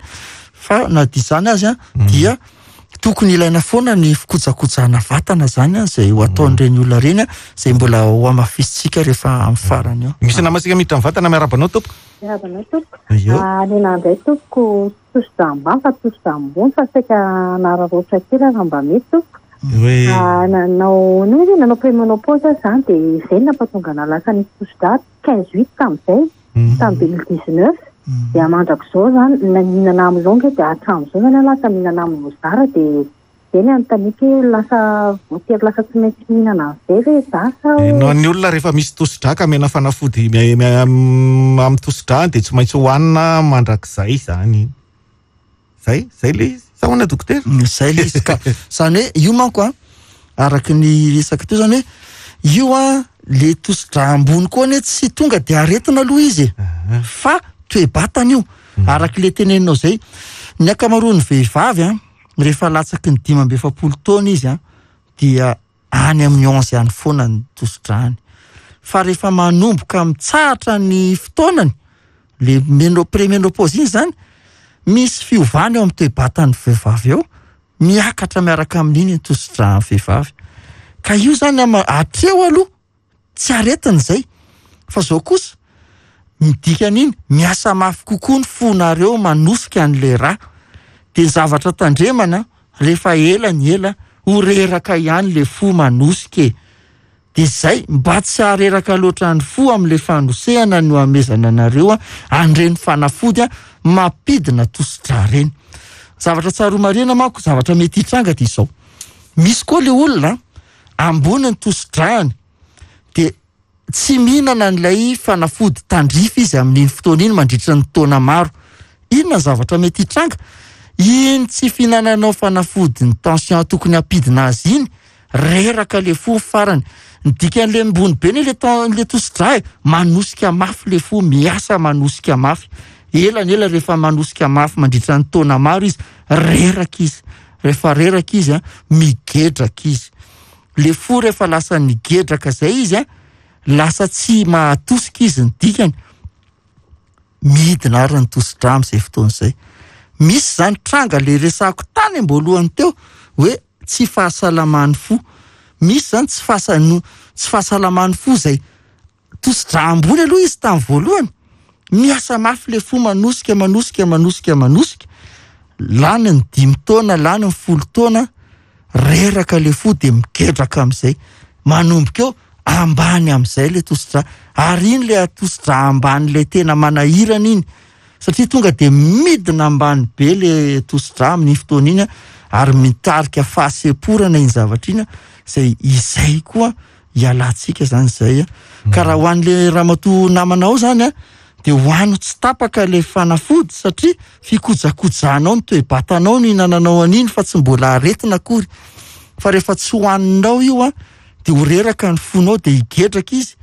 Fa na dia izany azy a, Mhm. dia Tokony ilaina foana ny fikojakojana vatana zany a, zay ho ataon'ireny olona ireny a, zay mbola ho hamafisintsika rehefa amin'ny farany eo. Misy namantsika miditra mivantana, miarahaba anao tompoko. Miarahaba anao tompoko. Io. Ny indray tompoko, tosidra ambany fa tosidra ambony fa saika nararaotra kely raha mba mety tompoko. Hoe Nanao no izy nanao préménopause aho zany, dia izay no nampatonga anahy lasa nisy tosidra quinze huit tamin'izay, tamin'ny deux mille dix-neuf. Dia mandrak'izao zany mihinana amilonga, dia hatramin'izao zany aho lasa mihinana amilozara, dia zay ny anontaniako hoe lasa voatery lasa tsy maintsy mihinana an'izay ve za sa hoe No, ny olona rehefa misy tosidra ka mena fanafody mi-, mi-, amin'ny tosidra dia tsy maintsy hohanina mandrakizay zany. Zay, zay le izy. Sa ahoana dokotera? Zay le izy ka. Zany hoe io manko a, araka ny resaka teo zany hoe io a, le tosidra ambony koa anie tsy tonga dia aretina aloha izy e. Fa toe-batana io. Araka le teneninao zay, ny ankamaroan'ny vehivavy a, rehefa latsaky ny dimy amby efapolo taona izy a, dia any amin'ny onze ihany foana ny tosidrany. Fa rehefa manomboka mitsahatra ny fotoanany, le meno-, préménopause iny zany, misy fiovana eo amin'ny toe-batan'ny vehivavy eo, miakatra miaraka amin'iny ny tosidran'ny vehivavy. Ka io zany ama-, hatreo aloha tsy aretina izay. Fa zao kosa, midika an'iny, miasa mafy kokoa ny fonareo manosika an'ilay rà. Dia ny zavatra tandremana, rehefa ela ny ela, ho reraka ihany le fo manosika e. Dia zay, mba tsy hareraka loatra ny fo amin'ilay fanosehana no amezana anareo a, an'ireny fanafody a, mampidina tosidra ireny. Zavatra tsaroa marina manko, zavatra mety hitranga dia izao. Misy koa le olona ambony ny tosidrany, dia tsy mihinana an'ilay fanafody tandrify izy amin'iny fotoana iny mandritra ny taona maro. Inona ny zavatra mety hitranga? Iny tsy fihinananao fanafody ny tension tokony hampidina azy iny, reraka le fo farany. Ny dikan'le ambony be ne le ten-, le tosidra e, manosika mafy le fo, miasa manosika mafy. Ela ny ela rehefa manosika mafy mandritra ny taona maro izy, reraka izy. Rehefa reraka izy a, migedraka izy. Le fo rehefa lasa nigedraka zay izy a, lasa tsy mahatosika izy ny dikany. Midina ary ny tosidra amin'izay fotoana izay. Misy zany tranga le resako tany am-boalohany teo hoe tsy fahasalaman'ny fo. Misy zany tsy fahasa-, no, tsy fahasalaman'ny fo zay. Tosidra ambony aloha izy tamin'ny voalohany. Miasa mafy le fo, manosika, manosika, manosika, manosika. Lany ny dimy taona, lany ny folo taona, reraka le fo dia migedraka amin'izay. Manomboka eo ambany amin'izay le tosidra. Ary iny le tosidra ambany le tena manahirana iny. Satria tonga dia midina ambany be le tosidra amin'ny fotoana iny, ary mitarika fahasemporana iny zavatra iny, izay izay koa ialantsika zany izay. Ka raha ho an'le ramatoa namanao zany a, dia ho ano tsy tapaka le fanafody, satria fikojakojanao ny toe-batanao no hinananao an'iny fa tsy mbola aretina akory. Fa rehefa tsy hohaninao io a, dia ho reraka ny fonao, dia higedraka izy,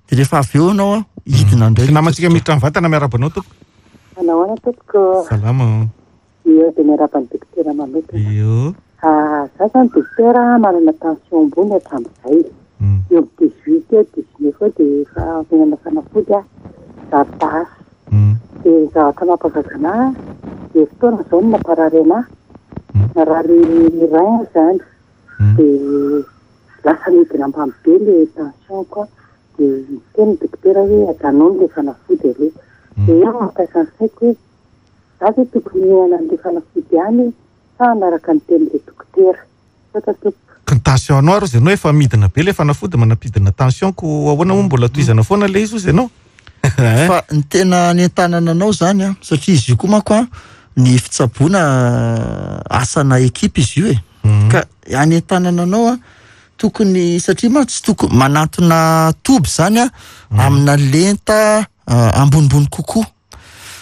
dia rehefa avy eo ianao a, hidina indray. Sy namantsika miditra mivantana, miarahaba anao tompoko. Manao ahoana tompoko? Salama. Io dia miarahaba ny dokotera manokana. Io. Ah, za zany dokotera manana tension ambony hatramin'izay. Mm. Eo amin'ny dix-huit eo, dix-neuf eo dia efa mihinana fanafody aho, zary Mm. Dia ny zavatra mampagaga anahy, dia fotoana izao no namparary anahy. Mm. Narary rein zany. Mm. Dia lasa nidina ambany be le tension koa. Dia niteny ny dokotera hoe ajanony le fanafody aloha. Mm. Dia eo mampiasa ny saiko hoe za ve tokony hihinana an'le fanafody ihany sa hanaraka ny tenin'le dokotera? Misaotra tompoko. Ka ny tension anao ary izy ianao efa midina be le fanafody manampidina tension, ko ahoana moa mbola tohizana foana le izy ozy ianao? Fa ny tena nentanana anao zany a, satria izy io koa manko a, ny fitsaboana asana ekipa izy io e. Mm. Ka anentanana anao a, tokony, satria manko tsy tokony manantona toby zany a, Mm. amina lenta, ah, ambonimbony kokoa.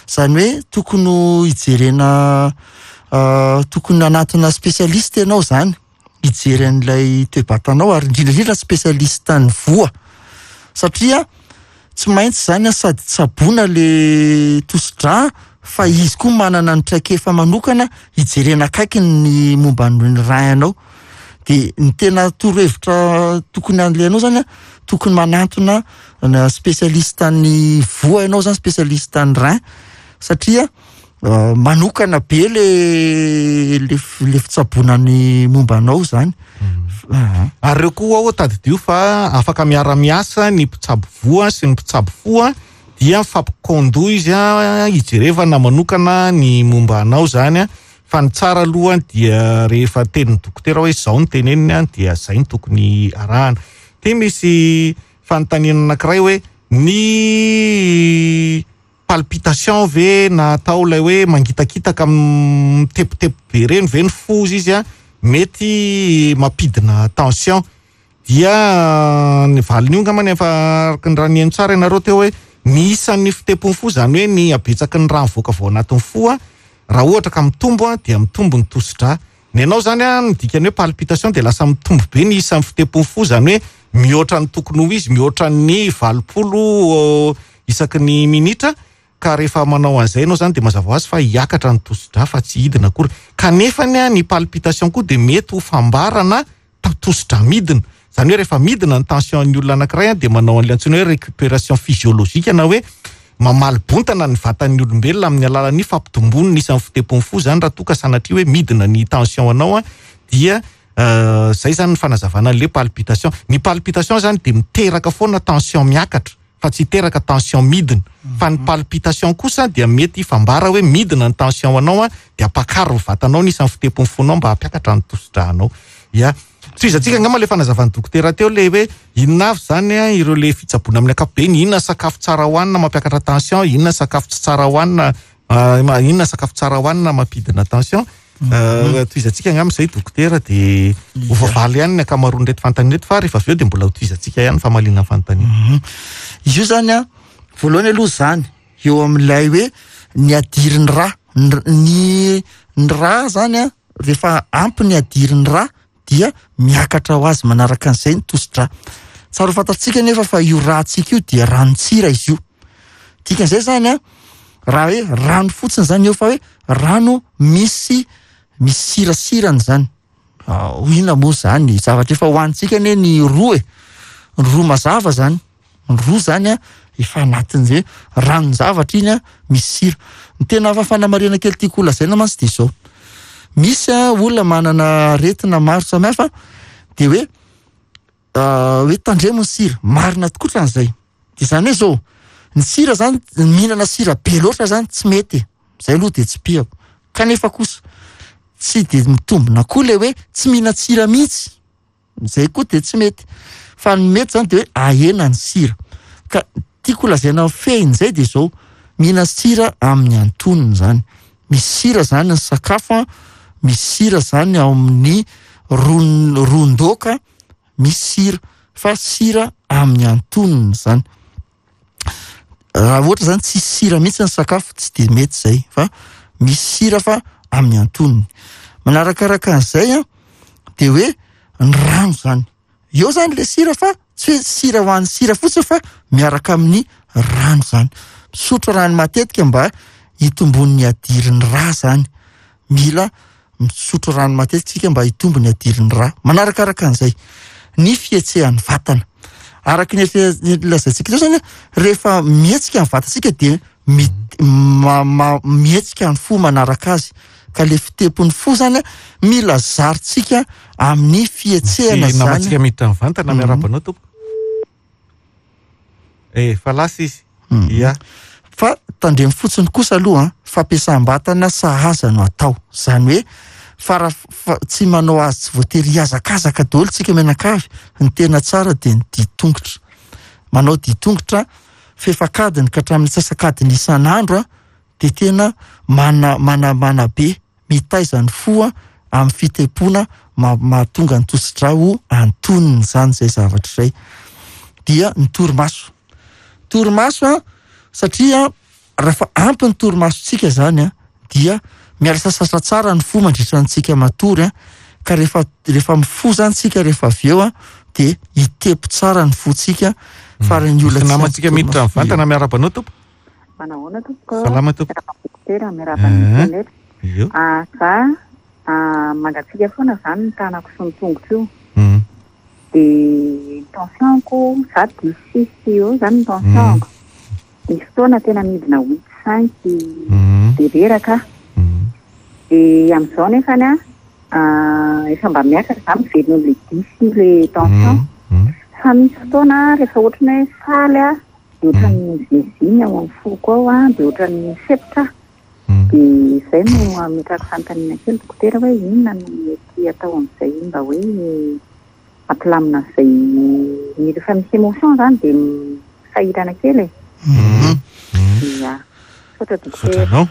Zany hoe tokony ho hijerena, ah, tokony hanantona spécialiste ianao zany, hijery an'ilay toe-batanao, ary indrindra indrindra spécialiste ny voa. Satria tsy maintsy zany a, sady tsaboina le tosidra, fa izy koa manana ny traikefa manokana hijerena akaiky ny momba ny rein anao. Dia ny tena torohevitra tokony an'ilay zany a, tokony manantona na spécialiste ny voa ianao zany, spécialiste ny rein, satria Manokana be le le le fitsaboana ny momba anao zany. Ary reo koa ao tadidio fa afaka miara-miasa ny mpitsabo voa sy ny mpitsabo fo, dia mifampikondo izy a, hijerevana manokana ny momba anao zany a. Fa ny tsara aloha dia rehefa tenin'ny dokotera hoe zao ny teneniny a, dia zay ny tokony arahana. Ty misy fanontaniana anankiray hoe ny palpitation ve na atao ilay hoe mangitakitaka mitepotepy be reny ve ny fo izy a, mety mampidina tension? Dia ny valiny io angamba ny efa araka ny raha nihaino tsara ianareo teo hoe ny isan'ny fitepon'ny fo, zany hoe ny habetsaky ny rano mivoaka avy ao anatin'ny fo a, raha ohatra ka mitombo a, dia mitombo ny tosidra. Ny anao zany a, ny dikany hoe palpitation dia lasa mitombo be ny isan'ny fitepon'ny fo, zany hoe mihoatra ny tokony ho izy, mihoatra ny valopolo isaky ny minitra. Ka rehefa manao an'izay ianao zany dia mazava ho azy fa hiakatra ny tosidra fa tsy hidina akory. Kanefa ny a, ny palpitation koa dia mety ho fambarana tosidra midina. Zany hoe rehefa midina ny tension ny olona anankiray a, dia manao an'ilay antsoina hoe récupération physiologique, na hoe mamaly bontana ny vatan'ny olombelona amin'ny alalan'ny fampitomboany ny isan'ny fitepon'ny fo. Zany raha toa ka sanatria hoe midina ny tension anao a, dia zay zany ny fanazavana an'ilay palpitation. Ny palpitation zany dia miteraka foana tension miakatra fa tsy hiteraka tension midina. Fa ny palpitation kosa dia mety fambara hoe midina ny tension anao a, dia ampakaro ny vatanao ny isan'ny fitepon'ny fonao mba hampiakatra ny tosidranao. Ya, tohizantsika angamba ilay fanazavan'ny dokotera teo le hoe inona avy zany a ireo le fitsaboana amin'ny ankapobeny, inona sakafo tsara hohanina mampiakatra tension, inona sakafo tsy tsara hohanina, inona sakafo tsara hohanina mampidina tension. Tohizantsika angamba izay dokotera, dia ho voavaly ihany ny ankamaroan'ireto fanontaniana ireto, fa rehefa avy eo dia mbola ho tohizantsika ihany ny famaliana ny fanontaniana. Izy io zany a, voalohany aloha zany eo amin'ilay hoe ny hadirin'ny rà, ny ny rà zany a, rehefa ampy ny hadirin'ny rà dia miakatra ho azy manaraka an'izay ny tosidra. Tsara ho fantatsika nefa fa io ràntsika io dia ranon-tsira izy io. Dikan'izay zany a, raha hoe rano fotsiny zany eo fa hoe rano misy, misy sirasirany zany. Ho inona moa zany? Zavatra efa hohanintsika anie ny roa e. Ny roa mazava zany. Ny roa zany a, efa anatin'izay ranon-javatra iny a, misy sira. Ny tena hafa fanamarihana kely tiako ho lazaina mantsy dia izao. Misy a, olona manana aretina maro samihafa dia hoe, hoe tandremo ny sira. Marina tokoa ohatran'izay. Dia izany hoe izao, ny sira zany, mihinana sira be loatra zany tsy mety. Izay aloha dia tsy pihako. Kanefa kosa tsy dia mitombina koa ilay hoe tsy mihinan-tsira mihitsy. Izay koa dia tsy mety. Fa ny mety zany dia hoe ahena ny sira. Ka tiako lazaina fehin'izay dia izao, mihinana sira amin'ny antonony zany. Misy sira zany ny sakafo, misy sira zany ao amin'ny ron-, ron-doaka, misy sira, fa sira amin'ny antonony zany. Raha ohatra zany tsisy sira mihitsy ny sakafo, tsy dia mety zay, fa misy sira fa amin'ny antonony. Manarakaraka an'izay a, dia hoe ny rano zany. Eo zany le sira fa tsy hoe sira ho an'ny sira fotsiny fa miaraka amin'ny rano zany. Misotro rano matetika mba hitombon'ny hadirin'ny rà zany. Mila misotro rano matetika tsika mba hitombo ny hadirin'ny rà. Manarakaraka an'izay ny fihetsehan'ny vatana. Araka ny efa lazaintsika teo zany, rehefa mihetsika ny vatantsika dia mi-, ma-, ma-, mihetsika ny fo manaraka azy. Ka le fitepon'ny fo zany mila zarintsika amin'ny fihetsehana Ny zany. namantsika miditra mivantana Mhm. miarahaba anao tompoko. Eh, fa lasa izy. Mhm. Ia. Fa tandremo fotsiny kosa aloha, fampiasam-batana sahaza no atao. Zany hoe fa raha fa tsy manao azy tsy voatery hihazakazaka daholo tsika mianakavy, ny tena tsara dia ny ditongotra. Manao ditongotra fefakadiny ka hatramin'ny sasakadiny isan'andro a, dia tena mana-, mana-, manabe mitaiza ny fo a, amin'ny fitepoana ma-, mahatonga ny tosidra ho antonony zany izay zavatra izay. Dia ny torimaso. Torimaso a, satria rehefa ampy ny torimasontsika zany a, dia miala sasatra tsara ny fo mandritra antsika matory a, ka rehefa, rehefa mifoha zany tsika rehefa avy eo a, dia hitepo tsara ny fontsika. Fa raha ny olona Misy tsy namantsika ampy miditra torimaso mivantana miarahaba anao tompoko. Manahoana tompoko? Salama tompoko. Miarahaba dokotera, miarahaba ny Eh. mpianatra. Io. Ah, za, ah, mangatsiaka foana zany ny tanako sy ny tongotro io. Mm. Dia tension-ko, za dix six eo zany ny tension-ko. Mm. Misy fotoana tena midina huit cinq. Mm. Dia reraka aho. Dia amin'izao nefany a, efa mba miakatra izany, miverina amin'ilay dix ilay tension. Fa misy fotoana rehefa ohatrany hoe faly aho, dia ohatrany miziniziny ao amin'ny foko ao a, dia ohatrany misepotra aho. Dia izay no ametrahako fanontaniana kely dokotera hoe inona no mety atao amin'izay mba hoe mampilamina an'izay, rehefa misy émotion izany dia sahirana kely e. Ia. Misaotra dokotera. Misaotra anao.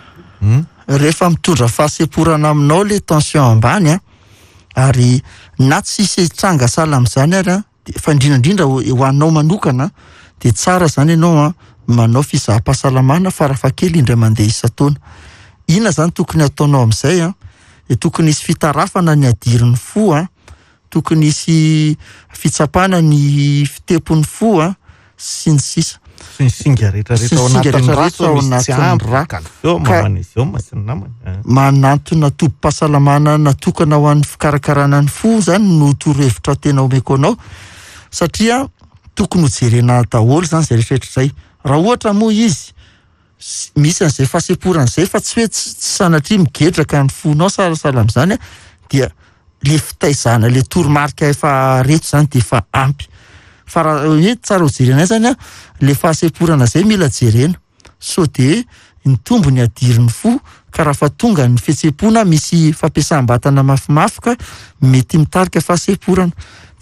Rehefa mitondra fahasemporana aminao le tension ambany a, ary na tsisy tranga sahala amin'izany ary a, dia fa indrindra indrindra ho, ho anao manokana dia tsara zany ianao a manao fizaham-pahasalamana farafahakely indray mandeha isan-taona. Inona zany tokony ataonao amin'izay a? Dia tokony hisy fitarafana ny hadirin'ny fo a, tokony hisy fitsapana ny fitepon'ny fo a, sy ny sisa. Sy ny singa rehetrarehetra ao Sy ny singa anatin'ny rà, rehetrarehetra ao misy tsy anatin'ny ampy, rà. calcium, Ka magnésium sy ny namany. Manantona tobim-pahasalamana natokana ho an'ny fikarakarana ny fo zany no torohevitra tena omeko anao, satria tokony ho jerena daholo zany izay rehetrarehetra izay. Raha ohatra moa izy s-, misy an'izay fahasemporana izay fa tsy hoe tsy, tsy sanatria migedraka ny fonao sahasahala amin'izany a, dia le fitaizana, le toromarika efa reto zany dia efa ampy. Fa raha hoe tsara ho jerena zany a, le fahasemporana izay mila jerena sao dia nitombo ny hadirin'ny fo, ka raha fa tonga ny fihetseham-pona misy fampiasam-batana mafimafy ka mety mitarika fahasemporana.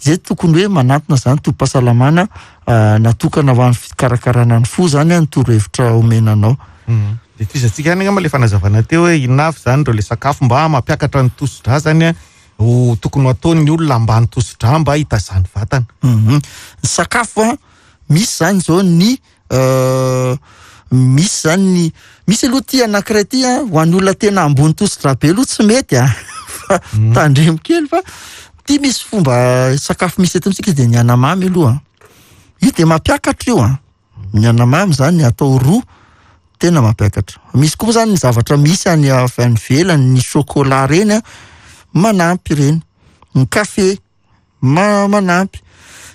Zay tokony hoe manantona zany tobim-pahasalamana, ah, natokana ho an'ny fikarakarana ny fo zany a, ny torohevitra omena anao. Mm. Dia tohizantsika ihany angamba le fanazavana teo hoe inona avy zany ireo le sakafo mba mampiakatra ny tosi-drà zany a, ho tokony ho ataon'ny olona ambany tosi-drà mba hitazany vatana. Mhm. Ny sakafo a, misy zany zao ny, euh, misy zany ny, misy aloha ty anankiray ty a, ho an'ny olona tena ambony tosi-drà be aloha tsy mety a. Fa Mm. tandremo kely fa ty misy fomba sakafo misy eto amintsika dia ny anamamy aloha. Io dia mampiakatra io a. Ny anamamy zany atao roa tena mampiakatra. Misy koa zany ny zavatra misy any avy any ivelany, ny chocolat reny a, manampy ireny. Ny kafe ma-, manampy.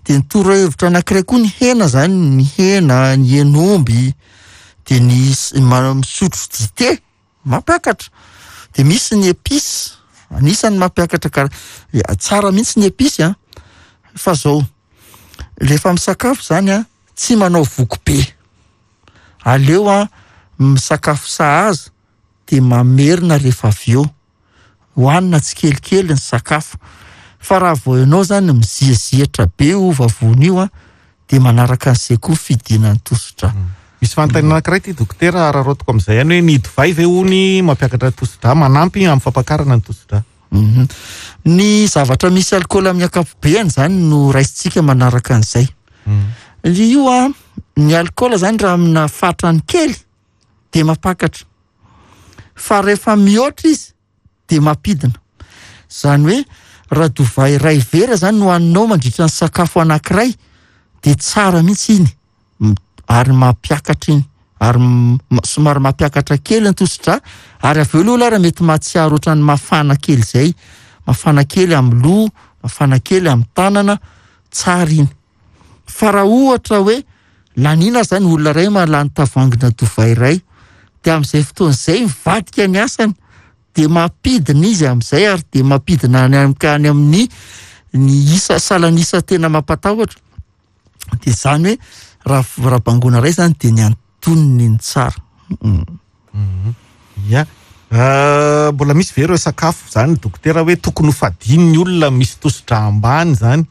Dia ny torohevitra anankiray koa ny hena zany, ny hena, ny hen'omby, dia ny s-, ma-, misotro dite mampiakatra. Dia misy ny épice, anisan'ny mampiakatra kara-, ya, tsara mihitsy ny épice a. Fa zao, rehefa misakafo zany a, tsy manao voky be. Aleo a misakafo sahaza dia mamerina rehefa avy eo. Hohanina tsikelikely ny sakafo. Fa raha vao ianao zany miziazihatra be io vavony io a, dia manaraka an'izay koa fidinan'ny tosi-drà. Mm. Misy fanontaniana anankiray ity dokotera, araraotiko amin'izay ihany hoe ny divay ve hony mampiakatra tosi-drà, manampy amin'ny fampakarana ny tosi-drà? Mhm. Ny zavatra misy alkaola amin'ny ankapobeny zany no raisintsika manaraka an'izay. Mm. Io a, ny alkaola zany raha amina fatrany kely dia mampakatra. Fa rehefa mihoatra izy dia mampidina. Zany hoe raha divay iray vera zany no haninao mandritra ny sakafo anankiray dia tsara mihitsy iny. M-, ary mampiakatra iny, ary m-, ma-, somary mampiakatra kely ny tosi-drà, ary avy eo aloha raha mety mahatsiaro ohatran'ny mafana kely izay, mafana kely amin'ny loha, mafana kely amin'ny tanana, tsara iny. Fa raha ohatra hoe lanina zany olona iray mahalany tavoahangina divay iray, dia amin'izay fotoana izay mivadika ny asany, dia mampidina izy amin'izay, ary dia mampidina any am-, ka any amin'ny ny isa, salan'isa tena mampatahotra. Dia izany hoe raha, raha bangona iray zany dia ny antonony ny tsara. Mm. Mm. Ia. Euh, mbola misy ve ireo sakafo zany dokotera hoe tokony ho fadian'ny olona misy tosi-drà ambany zany?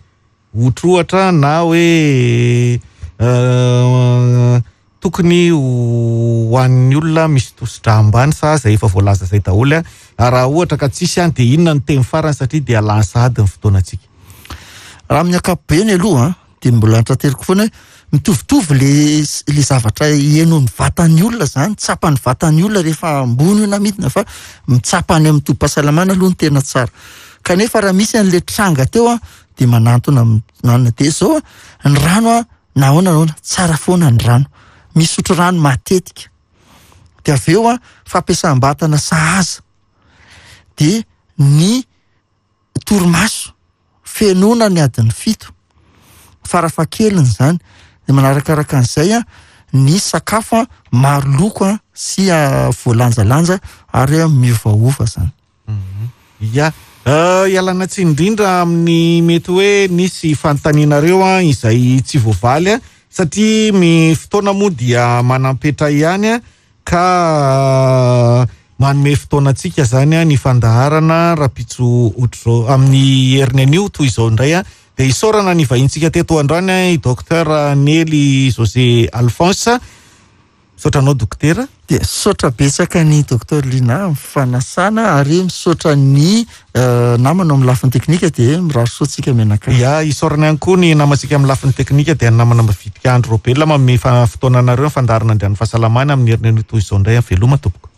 Ohatrohatra na hoe, euh, tokony ho an'ny olona misy tosi-drà ambany sa zay efa voalaza zay daholo a? Ary raha ohatra ka tsisy any dia inona ny teny farany satria dia lany sahady ny fotoanantsika? Raha amin'ny ankapobeny aloha dia mbola antrateriko foana hoe mitovitovy le, le zavatra henon'ny vatan'ny olona zany, tsapan'ny vatan'ny olona rehefa ambony io na midina, fa mitsapa any amin'ny tobim-pahasalamana aloha ny tena tsara. Kanefa raha misy an'le tranga teo a, dia manantona am-, manana dia zao a, ny rano a, na ahoana na ahoana, tsara foana ny rano. Misotro rano matetika. Dia avy eo a, fampiasam-batana sahaza. Dia ny torimaso, fenoana ny adiny fito, farafahakeliny zany. Dia manarakaraka an'izay a, ny sakafo a maro loko a sy voalanjalanja ary miovaova zany. Ya, ialana tsiny indrindra amin'ny mety hoe nisy fanontanianareo a izay tsy voavaly a satria ny fotoana moa dia manampetra ihany a ka manome fotoana antsika zany a ny fandaharana rapitso ohatr'izao amin'ny heriny anio toy izao indray a dia isaorana ny vahintsika teto androany a i docteur Nely José Alphonse. Misaotra anao dokotera. Dia misaotra betsaka ny docteur Lina amin'ny fanasana ary misaotra ny namana amin'ny lafiny teknika dia mirary soa antsika mianakavy. Ya, isaorana ihany koa ny namantsika amin'ny lafiny teknika dia ny namana mavitrika Andro Robelona manome fotoana anareo ny fandaharana andrian'ny fahasalamana amin'ny heriny anio toy izao indray. Veloma tompoko.